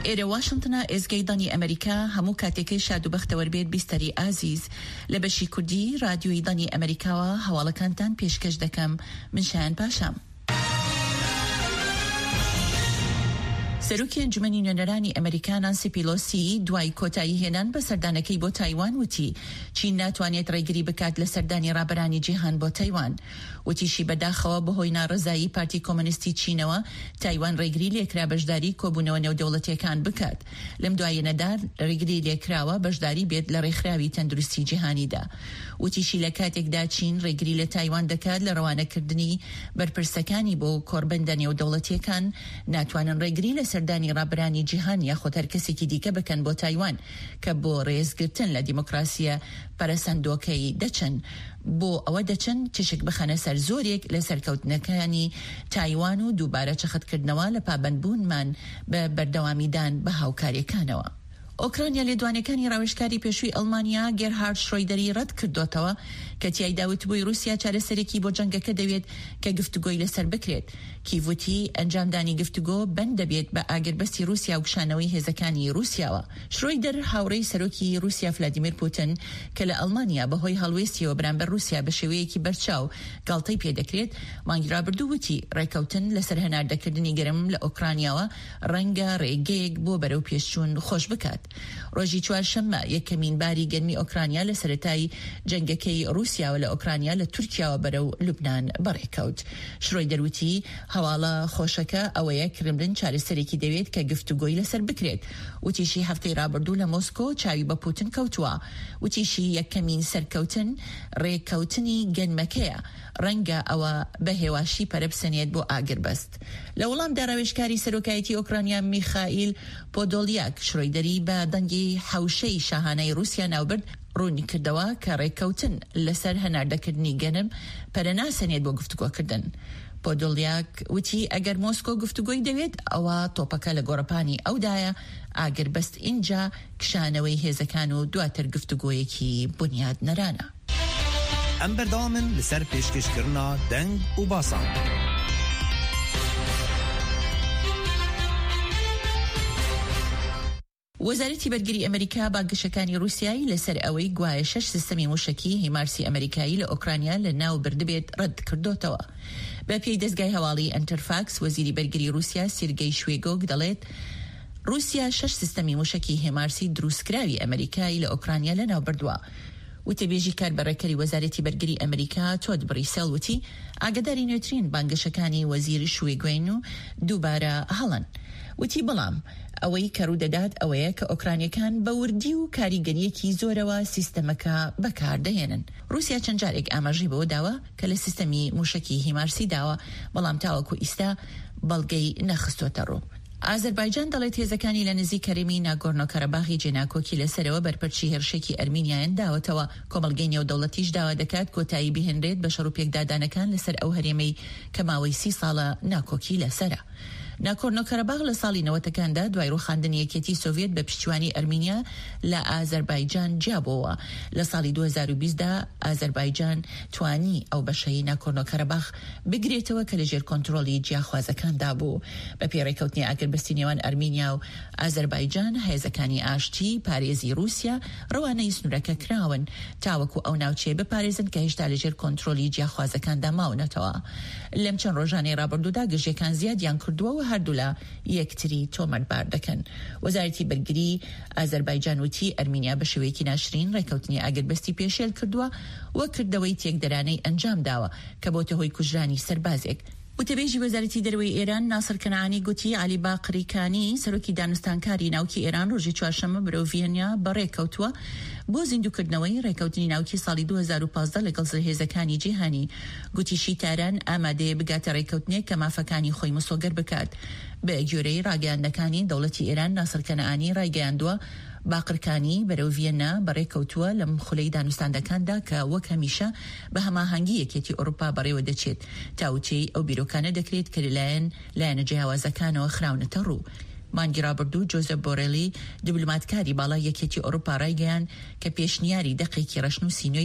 ئێرە واشنتنە ئێزگەی دەنگی ئەمەریکا هەموو کاتێکەی شاد و بەختەوەر بێت بیستەری ئازیز لە بەشی کوردی رادیۆی دەنگی ئەمەریکاوە هەواڵەکانتان پێشکەش دەکەم من شایان پاشام. سەرۆکی ئەنجومەنی نوێنەرانی ئەمەریکا نانسی پیلۆسی دوای کۆتایی هێنان بە سەردانەکەی بۆ تایوان وتی چین ناتوانێت ڕێگری بکات لە سەردانی ڕابەرانی جیهان بۆ تایوان. وتیشی بەداخەوە بەهۆی ناڕەزایی پارتی کۆمۆنیستی چینەوە تایوان ڕێگری لێکرا بەشداری کۆبوونەوە نێودەوڵەتیەکان بکات. لەم دواییەنەدا ڕێگری لێکراوە بەشداری بێت لە ڕێکخراوی تەندروستی جیهانیدا. وتیشی لە کاتێکدا چین ڕێگری لە تایوان دەکات لە ڕەوانەکردنی بەرپرسەکانی بۆ کۆڕبەندە نێودەوڵەتیەکان، ناتوانن ڕێگری لە سەردانی ڕابەرانی جیهان یاخود هەر کەسێکی دیکە بکەن بۆ تایوان کە بۆ ڕێزگرتن لە دیموکراسیە پەرەسەندۆکەی دەچن بۆ ئەوە دەچن تیشک بخەنە سەر زۆرێک لە سەرکەوتنەکانی تایوان و دووبارە چەختکردنەوە لە پابەندبوونمان بە بەردەوامیدان بە هاوکاریەکانەوە. ئۆکرانیا لێدوانەکانی ڕاوێژکاری پێشووی ئەڵمانیا گێرهارد شرۆیدەری ڕەت کردۆتەوە کە تیایدا وتبووی ڕووسیا چارەسەرێکی بۆ جەنگەکە دەوێت کە گفتوگۆی لەسەر بکرێت. کیڤ وتی ئەنجامدانی گفتوگۆ بەند دەبێت بە ئاگربەستی ڕووسیا و کشانەوەی هێزەکانی ڕووسیاوە. شرۆیدەر هاوڕێی سەرۆکی ڕووسیا فلادیمیر پوتن کە لە ئەڵمانیا بەهۆی هەڵوێستیەوە بەرامبەر ڕووسیا بە شێوەیەکی بەرچاو گاڵتەی پێدەکرێت، مانگی ڕابردوو وتی ڕێکەوتن لەسەر هەناردەکردنی گەرم لە ئۆکرانیاوە ڕەنگە ڕێگەیەک بۆ بەرەوپێشچوون خۆش بکات. ڕۆژی چوارشەممە یەکەمین باری گەنمی ئۆکرانیا لە سەرەتای جەنگەکەی ڕووسیاوە لە ئۆکرانیا لە تورکیاوە بەرەو لوبنان بەڕێکەوت. شرۆیدەر وتی، هەواڵە خۆشەکە ئەوەیە کرملن چارەسەرێکی دەوێت کە گفتوگۆی لەسەر بکرێت. وتیشی هەفتەی ڕابردوو لە مۆسکۆ چاوی بە پوتن کەوتووە. وتیشی یەکەمین سەرکەوتن ڕێککەوتنی گەنمەکەیە. ڕەنگە ئەوە بە هێواشی پەرە بسەنێت بۆ ئاگربەست. لە وەڵامدا ڕاوێژکاری سەرۆکایەتی ئۆکرانیا میخائیل پۆدۆلیاک شرۆیدەری بە دەنگی حەوشەی شاهانەی ڕووسیا ناوبرد، ڕوونیکردەوە کە ڕێککەوتن لەسەر هەناردەکردنی گەنم پەرە ناسەنێت بۆ گفتوگۆکردن. پۆدۆلیاک وتی ئەگەر مۆسکۆ گفتوگۆی دەوێت ئەوا تۆپەکە لە گۆڕەپانی ئەودایە، ئاگربەست ئینجا کشانەوەی هێزەکان و دواتر گفتوگۆیەکی بونیادنەرانە. Em berdewam in li ser pêşkêşkirina deng û basan. وەزارەتی بەرگری ئەمریکا بانگەشەکانی ڕووسیای لەسەر ئەوەی گوایە شەش سیستەمی مووشەکی هیمارسی ئەمریکایی لە ئۆکرانیا لە ناو بردبێت ڕەت کردۆتەوە. بە پێی دەزگای هەواڵی ئەنتەرفاکس وەزیری بەرگری ڕووسیا سیرگەی شوێگۆگ دەڵێت ڕووسیا شەش سیستەمی مووشەکی هێمارسی دروستکراوی ئەمریکای لە ئۆکرانیا لە ناو بردووە. وتەبێژی کاربەڕێکەری وەزارەتی بەرگری ئەمریکا تۆد بڕیسێڵ وتی ئاگاداری نوێترین بانگەشەکانی وەزیر شویگوین و دووبارە هەڵەن. وتی بەڵام ئەوەی کە ڕوودەدات ئەوەیە کە ئۆکرانیەکان بە وردی و کاریگەرییەکی زۆرەوە سیستەمەکە بەکاردەهێنن. ڕووسیا چەند جارێک ئاماژەی بەوە داوە کە لە سیستەمی مووشەکی هیمارسی داوە، بەڵام تاوەکو ئیستا بەڵگەی نەخستۆتەڕوو. ئازەربایجان دەڵێت هێزەکانی لە نزیک هەرێمی ناگۆرنۆ-کاراباخی جێناکۆکی لەسەرەوە بەرپەرچی هێرشێکی ئەرمینیایان داوەتەوە، کۆمەڵگەی نێودەوڵەتیش داوا دەکات کۆتایی بهێنرێت بە شەڕوپێکدادانەکان لەسەر ئەو هەرێمەی کە ماوەی سی ساڵە ناکۆکی لەسەرە. ناکۆرنۆ-کاراباخ لە ساڵی نەوەتەکاندا دوای ڕووخاندنی یەکێتی سۆڤیەت بە پشتیوانی ئەرمینیا لە ئازەربایجان جیابۆوە. لە ساڵی 2020 دا ئازەربایجان توانی ئەو بەشەی ناکۆرنۆ-کاراباخ بگرێتەوە کە لەژێر کۆنترۆڵی جیاخوازەکاندا بوو. بەپێی ڕێککەوتنی ئاگربەستی نێوان ئەرمینیا و ئازەربایجان، هێزەکانی ئاشتی پارێزی ڕووسیا ڕەوانەی سنوورەکە کراون تاوەکو ئەو ناوچەیە بپارێزن کە هێشتا لەژێر کۆنترۆلی جیاخوازەکاندا ماونەتەوە. لەم چەند ڕۆژانەی ڕابردوودا گرژییەکان زیادیان کردووە و هەردوولا یەکتری تۆمەتبار دەکەن. وەزارەتی بەرگری ئازەربایجان وتی، ئەرمینیا بە شێوەیەکی ناشرین ڕێککەوتنی ئاگربەستی پێشێل کردووە و کردەوەی تێکدەرانەی ئەنجامداوە کە بۆتە هۆی کوژرانی سەربازێک. وتەبێژی وەزارەتی دەرەوەی ئێران ناسر کەنعانی گوتی، عەلی باقری کانی، سەرۆکی دانوستانکاری ناوکی ئێران ڕۆژی چوارشەممە بەرەو ڤیەنیا بەڕێکەوتووە بۆ زیندووکردنەوەی ڕێکەوتنی ناوکی ساڵی 2015 لەگەڵ زلهێزەکانی جیهانی. گوتیشی تاران ئامادەیە بگاتە ڕێکەوتنێک کە مافەکانی خۆی مسۆگەر بکات. بە گوێرەی ڕاگەیاندنەکانی دەوڵەتی ئێران ناسر کەنعانی ڕایگەیاندووە، باقرکانی بەرەو ڤیەننا بەڕێکەوتووە لەم خولەی دانوستاندەکاندا کە وەک هەمیشە بە هەماهەنگی یەکێتی ئەوروپا بەڕێوە دەچێت، تاوتوێی ئەو بیرۆکانە دەکرێت کە لەلایەن لایەنە جیاوازەکانەوە خراونەتە ڕوو. مانگی ڕابردوو جۆزێپ بۆرێلی، دیبلۆماتکاری باڵای یەکێتی ئەوروپا ڕایگەیاند کە پێشنیاری دەقێکی ڕەشنووسی نوێی.